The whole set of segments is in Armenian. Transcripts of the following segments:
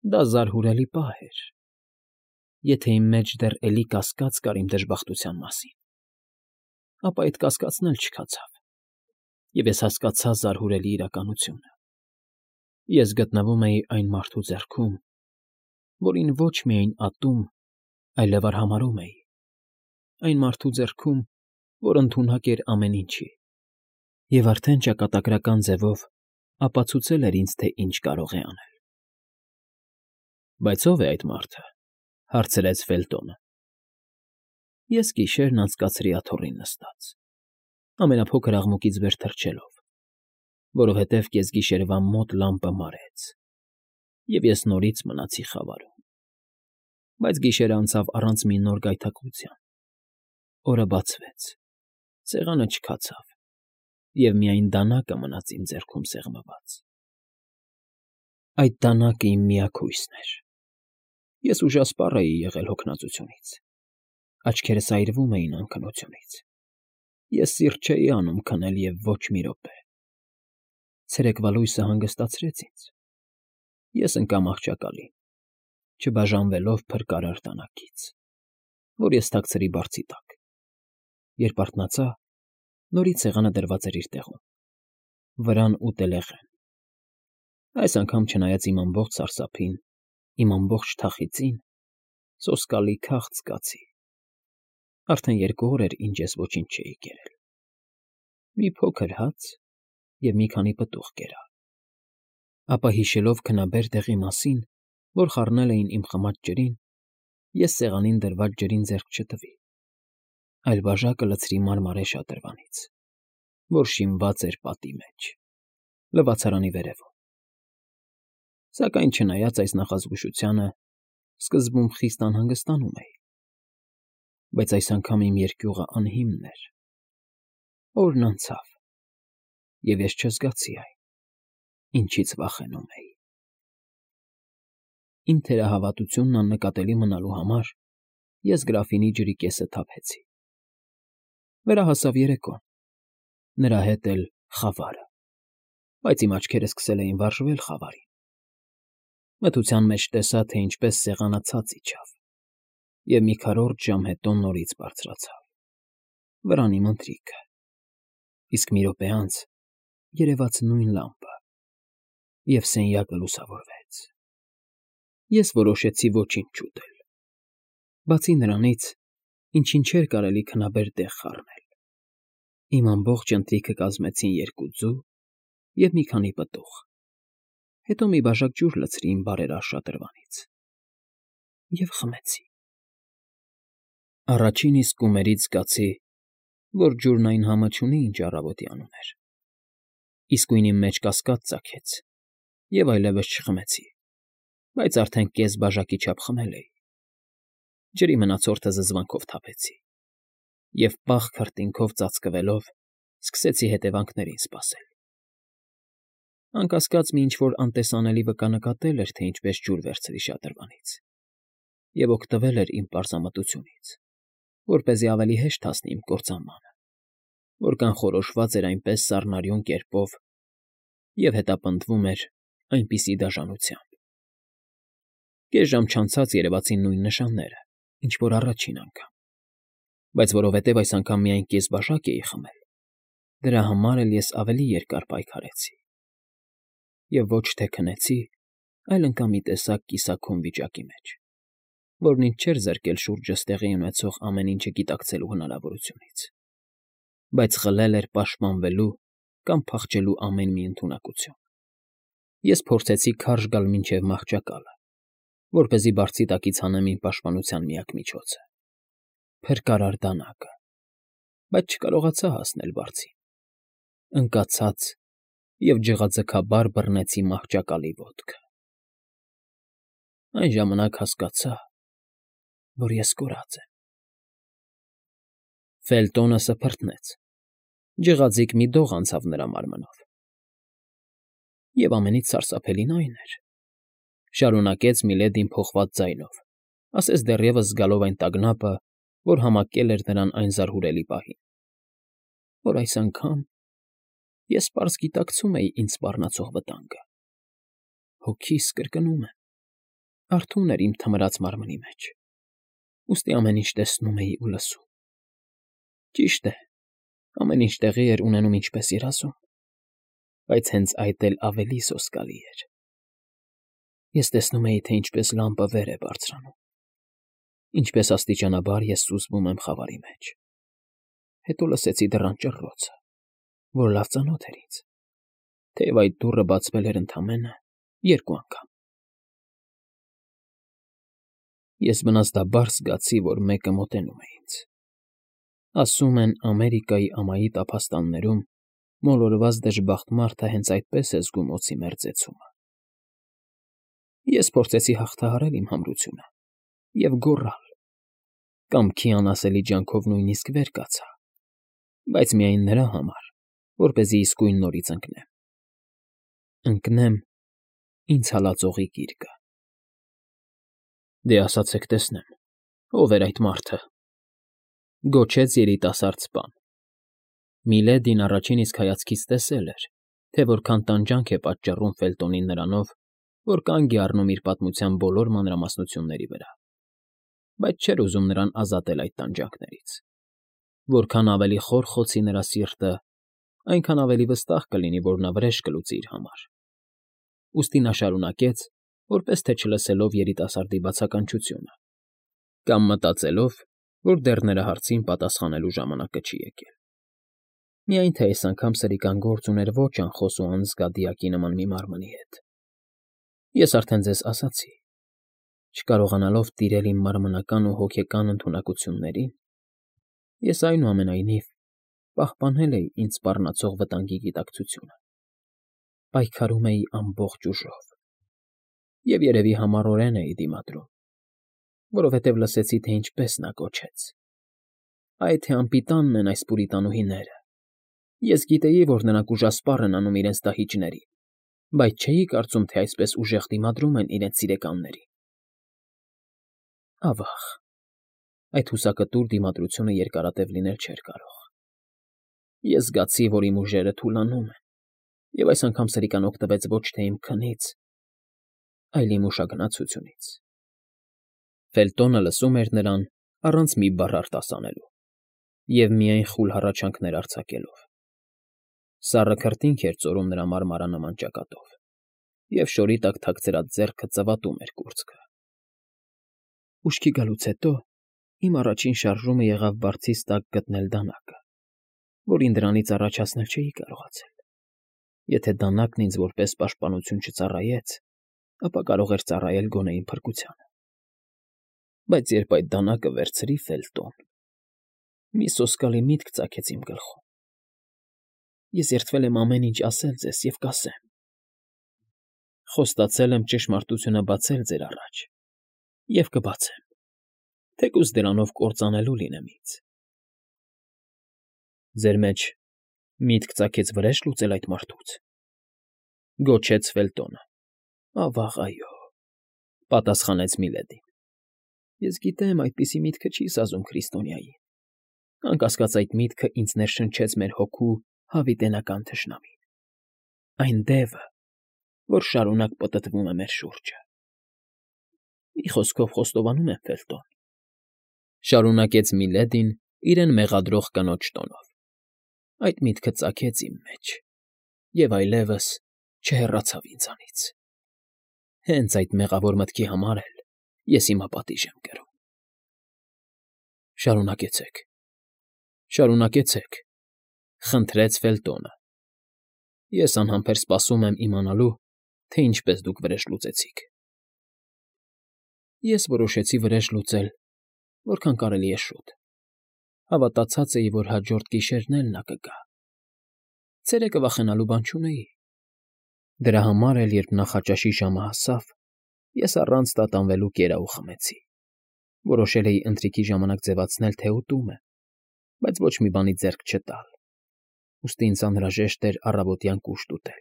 Դա զարհուրելի պահ էր։ Եթե իմ մեջ դեռ էլի կասկած կար իմ դժբախտության մասին, ապա այդ կասկածն էլ չքացավ, և ես հասկացա զարհուրելի իրականությունը. ես գտնվում էի այն մարդու ձեռքում, որին ոչ միայն ատում, այլև արհամարհում էի, այն մարդու ձեռքում, որ ընդունակ էր ամեն ինչի, և արդեն ճակատագրական ձևով ապացուցել էր ինձ, թե ինչ կարող է անել։ ֊ Բայց ո՞վ է այդ մարդը,֊ հարցրեց Ֆելտոնը։ Ես գիշերն անցկացրի աթոռին նստած, ամենափոքր աղմուկից վեր թռչելով, որովհետև կեսգիշերվա մոտ լամպը մարեց, և ես նորից մնացի խավարում։ Բայց գիշերն անցավ առանց մի նոր գայթակղության, օրը բացվեց, սեղանը չքացավ, և միայն դանակը մնաց իմ ձեռքում սեղմված։ Այդ դանակը իմ միակ հույսն էր։ Ես ուժասպառ էի եղել հոգնածությունից, աչքերս այրվում էին անքնությունից, ես սիրտ չէի անում քնել և ոչ մի րոպե։ Ցերեկվա լույսը հանգստացրեց ինձ, ես ընկա մահճակալին, չբաժանվելով փրկարար դանակից, որ ես թաքցրի բարձի տակ։ Երբ արթնացա, նորից սեղանը դրված էր իր տեղում, վրան ու տելեղեն։ Այս անգամ, չնայած իմ ամբողջ սարսափին, իմ ամբողջ թախիծին, սոսկալի քաղց զգացի։ Արդեն 2 օր էր, ինչ ես ոչինչ չէի կերել։ Մի փոքր հաց և մի քանի պտուղ կերա։ Ապա հիշելով քնաբեր դեղի մասին, որ խառնել էին իմ խմած ջրին, ես սեղանին դրված ջրին ձեռք չտվի, այլ բաժակը լցրի մարմարե շատրվանից, որ շինված էր պատի մեջ, լվացարանի վերևում։ Սակայն չնայած այս նախազգուշությանը, սկզբում խիստ անհանգստանում էի, բայց այս անգամ իմ երկյուղը անհիմն էր։ Օրն անցավ, և ես չզգացի այն, ինչից վախենում էի։ Իմ թերահավատությունն աննկատելի մնալու համար ես գրաֆինի ջրի կեսը թափեցի։ Վերահասավ երեկոն, նրա հետ էլ՝ խավարը, բայց իմ աչքերը սկսել էին վարժվել խավարին։ Մթության մեջ տեսա, թե ինչպես սեղանը ցած իջավ, և մի քառորդ ժամ հետո նորից բարձրացավ, վրան իմ ընթրիքը, իսկ մի րոպե անց երևաց նույն լամպը, և սենյակը լուսավորվեց։ Ես որոշեցի ոչինչ չուտել, բացի նրանից, ինչին չէր կարելի քնաբեր տեղ խառնել։ Իմ ամբողջ ընթրիքը կազմեցին 2 ձու և մի քանի պտուղ, հետո մի բաժակ ջուր լցրի իմ բարերար շատրվանից և խմեցի։ Առաջին իսկ կումերից զգացի, որ ջուրն այն համը չունի, ինչ առավոտյան ուներ, իսկույն իմ մեջ կասկած ծագեց, և այլևս չխմեցի, բայց արդեն կես բաժակի չափ խմել էի։ Ջրի մնացորդը զզվանքով թափեցի, և պաղ քրտինքով ծածկվելով, սկսեցի հետևանքներին սպասել։ Անկասկած մի ինչ֊որ անտեսանելի վկա նկատել էր, թե ինչպես ջուր վերցրի շատրվանից, և օգտվել էր իմ պարզամտությունից, որպեսզի ավելի հեշտ հասնի իմ կործանմանը, որ կանխորոշված էր այնպես սառնարյուն կերպով և հետապնդվում էր այնպիսի դաժանությամբ։ Կես ժամ չանցած երևացին նույն նշանները, ինչ որ առաջին անգամ, բայց որովհետև այս անգամ միայն կես բաժակ էի խմել, դրա համար էլ ես ավելի երկար պայքարեցի և ոչ թե քնեցի, այլ ընկա մի տեսակ կիսաքուն վիճակի մեջ, որն ինձ չէր զրկել շուրջս տեղի ունեցող ամեն ինչը գիտակցելու հնարավորությունից, բայց խլել էր պաշտպանվելու կամ փախչելու ամեն մի ընդունակություն։ Ես փորձեցի քարշ գալ մինչև մահճակալը, որպեսզի բարձի տակից հանեմ իմ պաշտպանության միակ միջոցը՝ փրկարար դանակը, բայց չկարողացա հասնել բարձին։ Ընկա ցած և ջղաձգաբար բռնեցի մահճակալի ոտքը։ Այն ժամանակ հասկացա, որ ես կորած եմ։ Ֆելտոնը սփռտնեց, ջղաձիգ մի դող անցավ նրա մարմնով։ Եվ ամենից սարսափելին այն էր, շարունակեց Միլեդին փոխված ձայնով, ասես դեռևս զգալով այն տագնապը, որ համակել էր նրան այն զարհուրելի պահին, որ այս անգամ ես պարզ գիտակցում էի ինձ սպառնացող վտանգը։ Հոգիս կրկնում եմ, Արթուն էր իմ թմրած մարմնի մեջ, ուստի ամեն ինչ տեսնում էի ու լսում։ Ճիշտ է, ամեն ինչ տեղի էր ունենում ինչպես երազում, բայց հենց այդ էլ ավելի սոսկալի էր։ Ես տեսնում էի, թե ինչպես լամպը վեր է բարձրանում, ինչպես աստիճանաբար ես սուզվում եմ խավարի մեջ։ Հետո լսեցի դռան ճռռոցը, որ լավ ծանոթ էր ինձ, թեև այդ դուռը բացվել էր ընդամենը 2 անգամ։ Ես բնազդաբար զգացի, որ մեկը մոտենում է ինձ։ Ասում են, Ամերիկայի ամայի տափաստաններում մոլորված դժբախտ մարդը հենց այդպես է զգում օձի մերձեցումը։ Ես փորձեցի հաղթահարել իմ համրությունը և գոռալ, կամքի անասելի ջանքով նույնիսկ վեր կացա, բայց միայն նրա համար, որպեսզի իսկույն նորից ընկնեմ ինձ հալածողի գիրկը։ Դե ասացեք տեսնեմ, ով էր այդ մարդը, գոչեց երիտասարդ սպան։ Միլեդին առաջին իսկ հայացքից տեսել էր, թե որքան տանջանք է պատճառում Ֆելտոնին նրանով, որ կանգ է առնում իր պատմության բոլոր մանրամասնությունների վրա, բայց չէր ուզում նրան ազատել այդ տանջանքներից։ Որքան ավելի խոր խոցի նրա սիրտը, այնքան ավելի վստահ կլինի, որ նա վրեժ կլուծի իր համար։ Ուստի նա շարունակեց, որպես թե չլսելով երիտասարդի բացականչությունը, կամ մտածելով, որ դեռ նրա հարցին պատասխանելու ժամանակը չի եկել։ Միայն թե այս անգամ սրիկան գործ ուներ ոչ անխոս ու անզգա դիակի նման մի մարմնի հետ։ Ես արդեն ձեզ ասացի, չկարողանալով տիրել իմ մարմնական ու հոգեկան ընդունակություններին, ես այնուամենայնիվ պահպանել էի ինձ սպառնացող վտանգի գիտակցությունը, պայքարում էի ամբողջ ուժով և երևի համառորեն էի դիմադրում, որովհետև լսեցի, թե ինչպես նա գոչեց. «Այ թե անպիտանն են այս պուրիտանուհիները, ես գիտեի, որ նրանք ուժասպառ են անում իրենց դահիճներին, բայց չէի կարծում, թե այսպես ուժեղ դիմադրում են իրենց սիրեկաններին»։ Ավաղ, այդ հուսակտուր դիմադրությունը երկարատև լինել չէր կարող։ Ես զգացի, որ իմ ուժերը թուլանում են, և այս անգամ սրիկան օգտվեց ոչ թե իմ քնից, այլ իմ ուշագնացությունից։ Ֆելտոնը լսում էր նրան առանց մի բառ արտասանելու և միայն խուլ հառաչանքներ արձակելով։ Սառը քրտինք էր ծորում նրա մարմարանման ճակատով, և շորի տակ թաքցրած ձեռքը ծվատում էր կուրծքը։ Ուշքի գալուց հետո իմ առաջին շարժումը եղավ բարձիս տակ գտնել դանակը, որին դրանից առաջ հասնել չէի կարողացել։ Եթե դանակն ինձ որպես պաշտպանություն չծառայեց, ապա կարող էր ծառայել գոնե իմ փրկությանը։ Բայց երբ այդ դանակը վերցրի Ֆելտոն, մի սոսկալի միտք ծագեց իմ գլխում։ Ես երդվել եմ ամեն ինչ ասել ձեզ և կասեմ։ Խոստացել եմ ճշմարտությունը բացել ձեր առաջ և կբացեմ, թեկուզ դրանով կործանելու լինեմ ինձ։ Ձեր մեջ միտք ծագեց վրեժ լուծել այդ մարդուց, գոչեց Ֆելտոնը։ Ավաղ, այո, պատասխանեց Միլեդին։ Ես գիտեմ, այդպիսի միտքը չի սազում քրիստոնյային։ Անկասկած այդ միտքը ինձ ներշնչեց մեր հոգու հավիտենական թշնամին։ Այն դևը, որ շարունակ պտտվում է մեր շուրջը։ Մի խոսքով խոստովանում եմ, Ֆելտոն, շարունակեց Միլեդին իրեն մեղադրող կնոջ տոնով, այդ միտքը ծագեց իմ մեջ և այլևս չհեռացավ ինձանից։ Հենց այդ մեղավոր մտքի համար էլ ես հիմա պատիժ եմ կրում։ Շարունակեցեք, շարունակեցեք, խնդրեց Ֆելտոնը։ Ես անհամբեր սպասում եմ իմանալու, թե ինչպես դուք վրեժ լուծեցիք։ Ես որոշեցի վրեժ լուծել, որքան կարելի է շուտ։ Հավատացած էի, որ հաջորդ գիշերն էլ նա կգա։ Ցերեկը վախենալու բան չունեի։ Դրա համար էլ, երբ նախաճաշի ժամը հասավ, ես առանց տատանվելու կերա ու խմեցի։ Որոշել էի ընթրիքի ժամանակ ձևացնել, թե ուտում եմ, բայց ոչ մի բանի ձեռք չտալ։ Ուստի ինձ անհրաժեշտ էր առավոտյան կուշտ ուտել,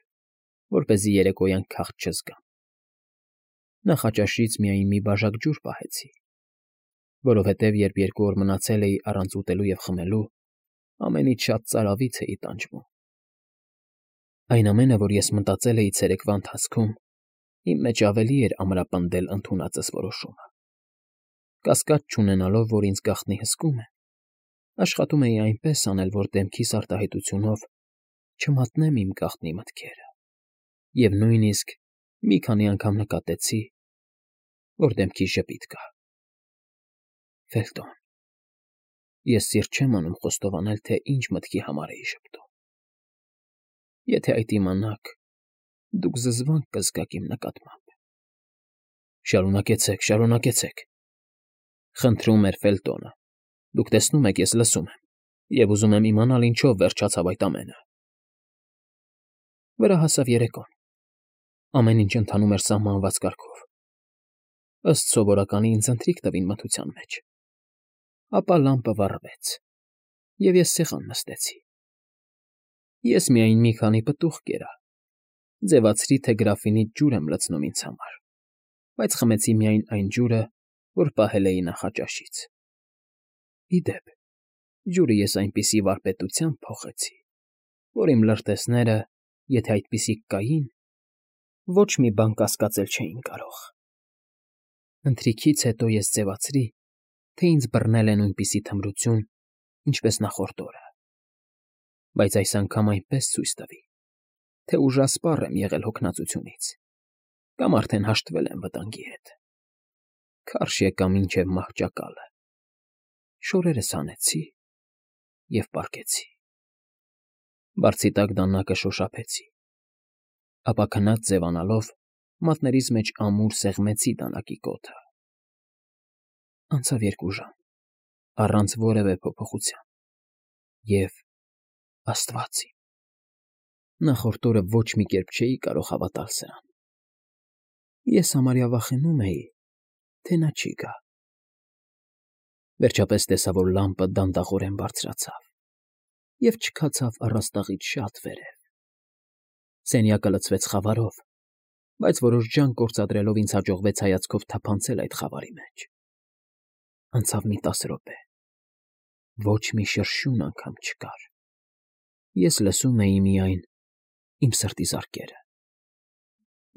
որպեսզի երեկոյան քաղց չզգամ։ Նախաճաշից միայն մի բաժակ ջուր պահեցի, որովհետև երբ 2 օր մնացել էի առանց ուտելու և խմելու, ամենից շատ ծարավից էի տանջվում։ Այն ամենը, որ ես մտածել էի ցերեկվա ընթացքում, Իմ մեջ ավելի էր ամրապնդել ընդունածս որոշումը։ Կասկած չունենալով, որ ինձ գաղտնի հսկում են, աշխատում էի այնպես անել, որ դեմքիս արտահայտությունով չմատնեմ իմ գաղտնի մտքերը, և նույնիսկ մի քանի անգամ նկատեցի, որ դեմքիս ժպիտ կա։ Ֆելտոն, ես սիրտ չեմ անում խոստովանել, թե ինչ մտքի համար էի ժպտում։ Եթե այդ իմանաք, դուք զզվանք կզգաք իմ նկատմամբ։ Շարունակեցեք, շարունակեցեք, խնդրում էր Ֆելտոնը։ Դուք տեսնում եք, ես լսում եմ, և ուզում եմ իմանալ ինչով վերջացավ այդ ամենը։ Վրա հասավ երեկոն։ Ամեն ինչ ընթանում էր սահմանված կարգով։ Ըստ սովորականի ինձ ընթրիք տվին մթության մեջ։ Ապա լամպը վառվեց, և ես սեղան նստեցի։ Ես միայն մի քանի պտուղ կերա, ձևացրի, թե գրաֆինից ջուր եմ լցնում ինձ համար, բայց խմեցի միայն այն ջուրը, որ պահել էի նախաճաշից։ Ի դեպ, ջուրը ես այնպիսի վարպետությամբ փոխեցի, որ իմ լրտեսները, եթե այդպիսիք կային, ոչ մի բան կասկածել չէին կարող։ Ընթրիքից հետո ես ձևացրի, թե ինձ բռնել է նույնպիսի թմրություն, ինչպես նախորդ օրը, բայց այս անգամ այնպես ցույց տվի, թե ուժասպառ եմ եղել հոգնածությունից, կամ արդեն հաշտվել եմ վտանգի հետ։ Քարշ եկա մինչև մահճակալը, շորերս հանեցի և պառկեցի։ Բարձի տակ դանակը շոշափեցի, ապա քնած ձևանալով մատներիս մեջ ամուր սեղմեցի դանակի կոթը։ Անցավ 2 ժամ, առանց որևէ փոփոխության, և, Աստված իմ, նախորդ օրը ոչ մի կերպ չէի կարող հավատալ սրան։ Ես համարյա վախենում էի, թե նա չի գա։ Վերջապես տեսա, որ լամպը դանդաղորեն բարձրացավ և չքացավ առաստաղից շատ վերև։ Սենյակը լցվեց խավարով, բայց որոշ ջանք գործադրելով ինձ հաջողվեց հայացքով թափանցել այդ խավարի մեջ։ Անցավ մի 10 րոպե։ Ոչ մի շրշյուն անգամ չկար։ Ես լսում էի միայն իմ սրտի զարկերը։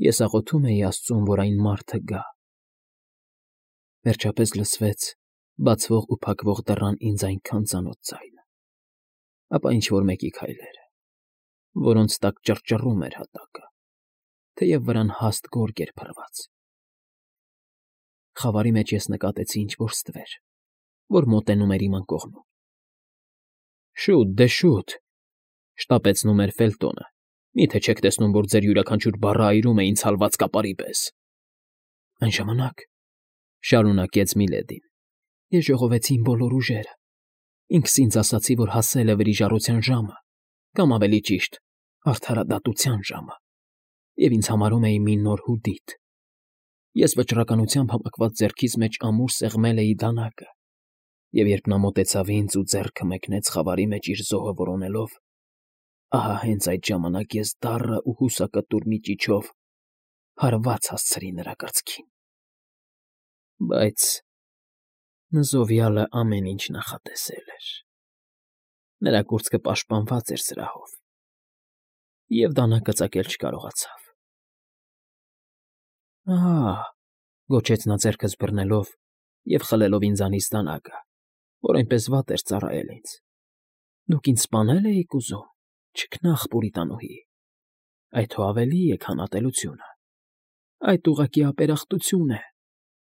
Ես աղոթում էի Աստծուն, որ այն մարդը գա։ Վերջապես լսվեց բացվող ու փակվող դռան ինձ այնքան ծանոթ ձայնը, ապա ինչ֊որ մեկի քայլերը, որոնց տակ ճռճռում էր հատակը, թեև վրան հաստ գորգ էր փռված։ Խավարի մեջ ես նկատեցի ինչ֊որ ստվեր, որ մոտենում էր իմ անկողնում։ Շուտ, դե շուտ, շտապեցնում էր Ֆելտոնը։ Մի՞թե չեք տեսնում, որ ձեր յուրաքանչյուր բառը այրում է ինձ հալված կապարի պես։ Այն ժամանակ, շարունակեց Միլեդին, ես ժողովեցի իմ բոլոր ուժերը։ Ինքս ինձ ասացի, որ հասել է վրիժառության ժամը, կամ ավելի ճիշտ, արդարադատության ժամը, և ինձ համարում էի մի նոր Հուդիտ։ Ես վճռականությամբ համակված ձեռքիս մեջ ամուր սեղմել էի դանակը, և երբ նա մոտեցավ ինձ ու ձեռքը մեկնեց խավարի մեջ իր զոհը որոնելով, ահա հենց այդ ժամանակ ես դառը ու հուսակտուր մի ճիչով հարված հասցրի նրա կրծքին։ Բայց նզովյալը ամեն ինչ նախատեսել էր։ Նրա կուրծքը պաշտպանված էր սրահով, և դանակը ծակել չկարողացավ։ Ահա,֊ գոչեց նա ձեռքս բռնելով և խլելով ինձանից դանակը, որ այնպես վատ էր ծառայել ինձ։ Դուք ինձ սպանել էիք ուզում, չքնաղ պուրիտանուհի, այդ հո ավելի է, քան ատելությունը։ Այդ ուղղակի ապերախտություն է։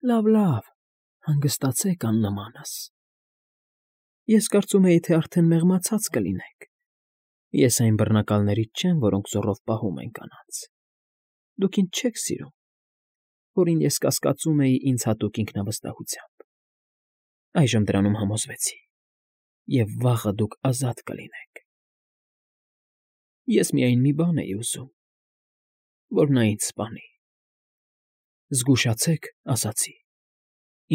Լավ, հանգստացեք աննմանս։ Ես կարծում էի, թե արդեն մեղմացած կլինեք։ Ես այն բռնակալներից չեմ, որոնք զոռով պահում են կանանց։ Դուք ինձ չեք սիրում, որին ես կասկածում էի ինձ հատուկ ինքնավստահությամբ։ Այժմ դրանում համոզվեցի, և վաղը դուք ազատ կլինեք։ Ես միայն մի բան էի ուզում, որ նա ինձ սպանի։ Զգուշացեք, ասացի,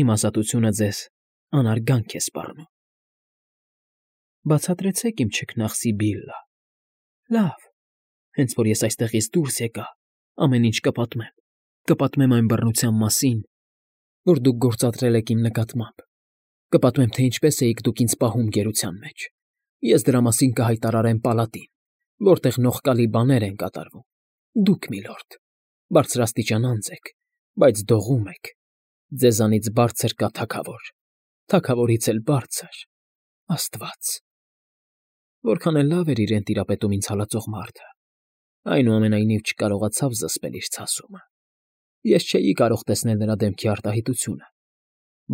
իմ ազատությունը ձեզ անարգանք է սպառնում։ Բացատրեցեք իմ չքնաղ Սիբիլլա։ Լավ, հենց որ ես այստեղից դուրս եկա, ամեն ինչ կպատմեմ։ Կպատմեմ այն բռնության մասին, որ դուք գործադրել եք իմ նկատմամբ։ Կպատմեմ, թե ինչպես էիք դուք ինձ պահում գերության մեջ։ Ես դրա մասին կհայտարարեմ պալատին, որտեղ նողկալի բաներ են կատարվում։ Դուք, միլորդ, Բարձրաստիճան անձ եք, բայց դողում եք, ձեզանից բարձր կա թագավոր, թագավորից էլ բարձր, Աստված։ Որքան էլ լավ էր իրեն տիրապետում ինձ հալածող մարդը, այնուամենայնիվ չկարողացավ զսպել իր ցասումը։ Ես չէի կարող տեսնել նրա դեմքի արտահայտությունը,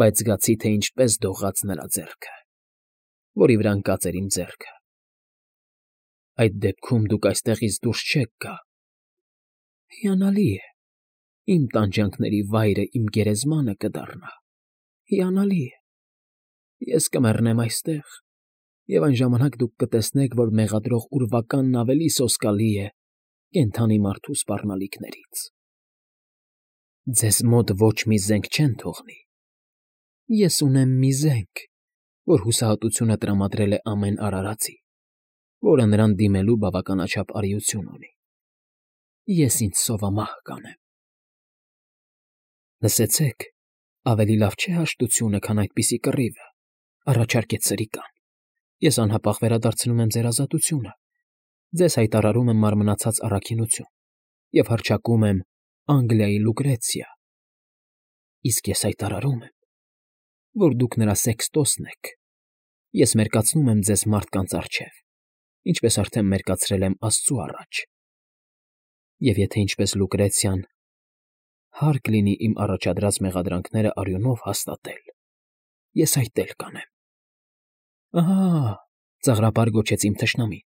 բայց զգացի, թե ինչպես դողաց նրա ձեռքը, որի վրա ընկած էր իմ ձեռքը։ Այդ դեպքում դուք այստեղից դուրս չեք գա։ Հիանալի է, իմ տանջանքների վայրը իմ գերեզմանը կդառնա, հիանալի է։ Ես կմեռնեմ այստեղ, և այն ժամանակ դուք կտեսնեք, որ մեղադրող ուրվականն ավելի սոսկալի է կենդանի մարդու սպառնալիքներից։ Ձեզ մոտ ոչ մի զենք չեն թողնի։ Ես ունեմ մի զենք, որ հուսահատությունը տրամադրել է ամեն արարածի, որը նրան դիմելու բավականաչափ արիություն ունի։ Ես ինձ սովամահ կանեմ։ Լսեցեք, ավելի լավ չէ հաշտությունը, քան այդպիսի կռիվը, առաջարկեց Սրիկան։ Ես անհապաղ վերադարձնում եմ ձեր ազատությունը, ձեզ հայտարարում եմ մարմնացած առաքինություն և հռչակում եմ Անգլիայի Լուկրեցիա։ Իսկ ես հայտարարում եմ, որ դուք նրա սեքստոսն եք։ Ես մերկացնում եմ ձեզ մարդկանց առջև, ինչպես արդեն մերկացրել եմ Աստծու առաջ։ Եվ եթե ինչպես Լուկրեցիան հարկ լինի իմ առաջադրած մեղադրանքները արյունով հաստատել, ես այդ էլ կանեմ։ Ահա, ծաղրապար գոչեց իմ թշնամին,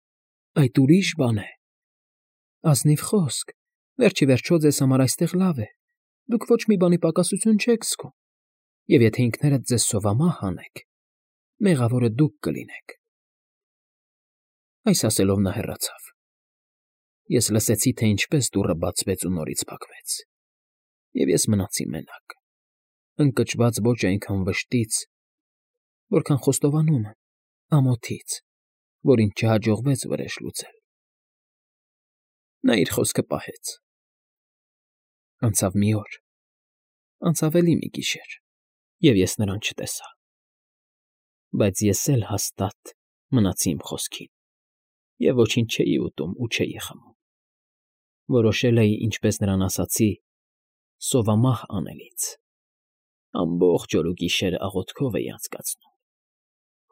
այդ ուրիշ բան է։ Ազնիվ խոսք, վերջ ի վերջո ձեզ համար այստեղ լավ է, դուք ոչ մի բանի պակասություն չեք զգում, և եթե ինքներդ ձեզ սովամահ անեք, մեղավորը դուք կլինեք։ Այս ասելով նա հեռացավ։ Ես լսեցի, թե ինչպես դուռը բացվեց ու նորից փակվեց, և ես մնացի մենակ, ընկճված ոչ այնքան վշտից, որքան խոստովանում եմ, ամոթից, որ ինձ չհաջողվեց վրեժ լուծել։ Նա իր խոսքը պահեց։ Անցավ մի օր, անցավ էլի մի գիշեր, և ես նրան չտեսա։ Բայց ես էլ հաստատ մնացի իմ խոսքին և ոչինչ չէի ուտում ու չէի խմում։ Որոշել էի, ինչպես նրան ասացի, սովամահ անելից։ Ամբողջ օր ու գիշեր աղոթքով էի անցկացնում։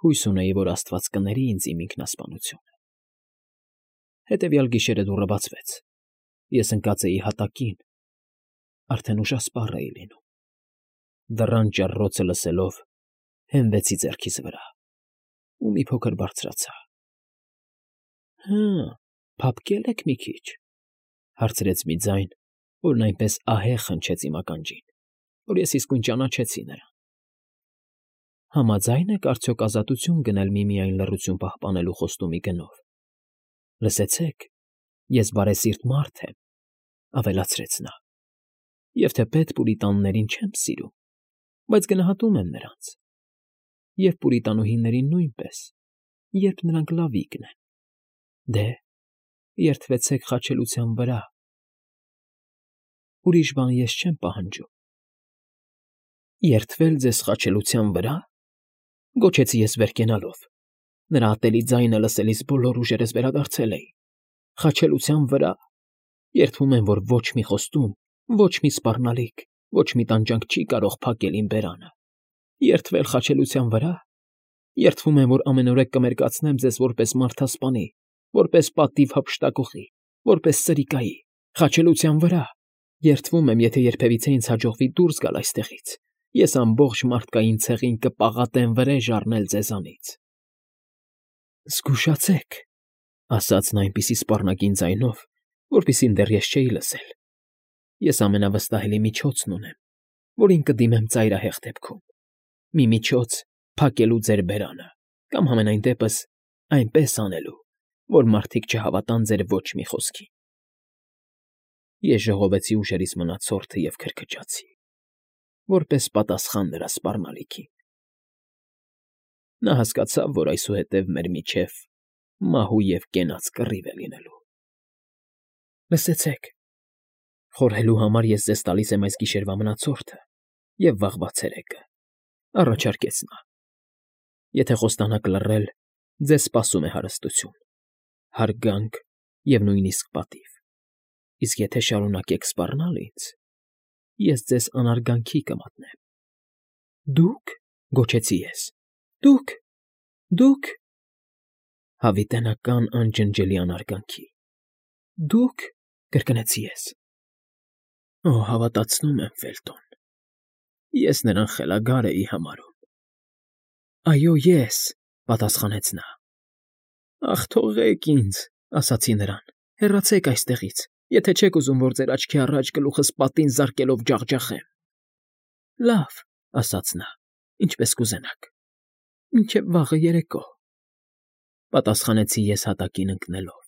Հույս ունեի, որ Աստված կների ինձ իմ ինքնասպանությունը։ Հետևյալ գիշերը դուռը բացվեց։ Ես ընկած էի հատակին, արդեն ուշասպառ էի լինում։ Դռան ճռռոցը լսելով, հենվեցի ձեռքիս վրա ու մի փոքր բարձրացա։ Հը, փափկե՞լ եք մի քիչ, հարցրեց մի ձայն, որն այնպես ահեղ հնչեց իմ ականջին, որ ես իսկույն ճանաչեցի նրան։ Համաձա՞յն եք արդյոք ազատություն գնել միմիայն լռություն պահպանելու խոստումի գնով։ Լսեցեք, ես բարեսիրտ մարդ եմ, ավելացրեց նա, և թեպետ պուրիտաններին չեմ սիրում, բայց գնահատում եմ նրանց, և պուրիտանուհիներին նույնպես, երբ նրանք լավիկն են։ Դե, երդվեցեք խաչելության վրա։ Ուրիշ բան ես չեմ պահանջում։ Երդվել ձեզ խաչելության վրա, գոչեցի ես վեր կենալով։ Նրա ատելի ձայնը լսելիս բոլոր ուժերս վերադարձել էին։ Խաչելության վրա։ Երդվում եմ, որ ոչ մի խոստում, ոչ մի սպառնալիք, ոչ մի տանջանք չի կարող փակել իմ բերանը։ Երդվել խաչելության վրա։ Երդվում եմ, որ ամենուրեք կմերկացնեմ ձեզ որպես մարդասպանի, որպես պատիվ հափշտակողի, որպես սրիկայի, խաչելության վրա։ Երդվում եմ, եթե երբևիցե ինձ հաջողվի դուրս գալ այստեղից, ես ամբողջ մարդկային ցեղին կպաղատեմ վրեժ առնել ձեզանից։ Զգուշացեք, ասաց նա այնպիսի սպառնագին ձայնով, որպեսզի դեռ ես չէի լսել։ Ես ամենավստահելի միջոցն ունեմ, որին կդիմեմ ծայրահեղ դեպքում։ Մի միջոց փակելու ձեր բերանը, կամ համենայն դեպս այնպես անելու, որ մարդիկ չհավատան ձեր ոչ մի խոսքին։ Ես ժողովեցի ուժերիս մնացորդը և քրքջացի, որպես պատասխան նրա սպառնալիքին։ Նա հասկացավ, որ այսուհետև մեր միջև մահու և կենաց կռիվ է լինելու։ Լսեցեք, խորհելու համար ես ձեզ տալիս եմ այս գիշերվա մնացորդը և վաղվա ցերեկը, առաջարկեց նա։ Եթե խոստանաք լռել, ձեզ սպասում է հարստություն, հարգանք և նույնիսկ պատիվ։ Իսկ եթե շարունակեք սպառնալ ինձ, ես ձեզ անարգանքի կմատնեմ։ Դուք, գոչեցի ես, դուք… Հավիտենական անջնջելի անարգանքի։ Դուք, կրկնեցի ես։ Օ, հավատացնում եմ, Ֆելտոն, ես նրան խելագար էի համարում։ Այո, ես, պատասխանեց նա։ Ախ, թողեք ինձ, ասացի նրան, հեռացեք այստեղից, եթե չեք ուզում, որ ձեր աչքի առաջ գլուխս պատին զարկելով ջախջախեմ։ Լավ, ասաց նա, ինչպես կուզենաք, մինչև վաղը երեկո, պատասխանեցի ես հատակին ընկնելով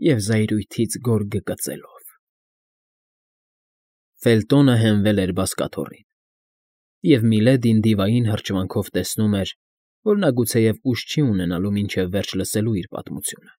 և զայրույթից գորգը կծելով։ Ֆելտոնը հենվել էր բազկաթոռին, և Միլեդին դիվային հրճվանքով տեսնում էր, որ նա գուցեև ուժ չի ունենալու մինչև վերջ լսելու իր պատմությունը։